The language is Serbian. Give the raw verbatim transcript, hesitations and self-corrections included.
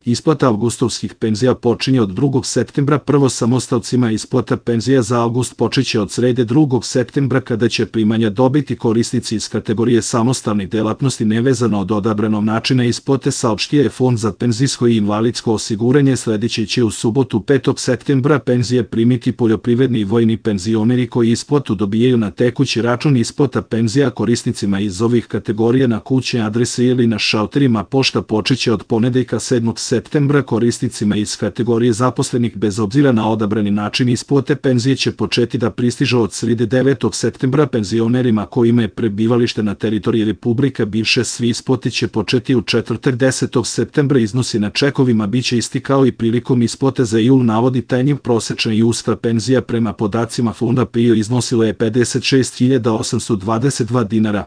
Isplata avgustovskih penzija počinje od drugog septembra. Prvo samostalcima isplata penzija za avgust počeće od srede drugog septembra kada će primanja dobiti korisnici iz kategorije samostalnih delatnosti nevezano od odabranog načina isplate, saopštio je Fond za penzijsko i invalidsko osiguranje. Sledeće će u subotu petog septembra penzije primiti poljoprivredni i vojni penzioneri koji isplatu dobijaju na tekući račun. Isplata penzija korisnicima iz ovih kategorija na kućne adrese ili na šalterima pošta počeće od ponedeljka sedmog septembra. Korisnicima iz kategorije zaposlenih bez obzira na odabrani način isplate penzije će početi da pristižu od srede devetog septembra. Penzionerima kojima je prebivalište na teritoriji Republike bivše svi isplate će početi u četvrtak desetog septembra. Iznosi na čekovima biće isti kao i prilikom isplate za jul, navodi Tanjiv. Prosečna julska penzija prema podacima Fonda PIO iznosila je pedeset šest hiljada osamsto dvadeset dva dinara.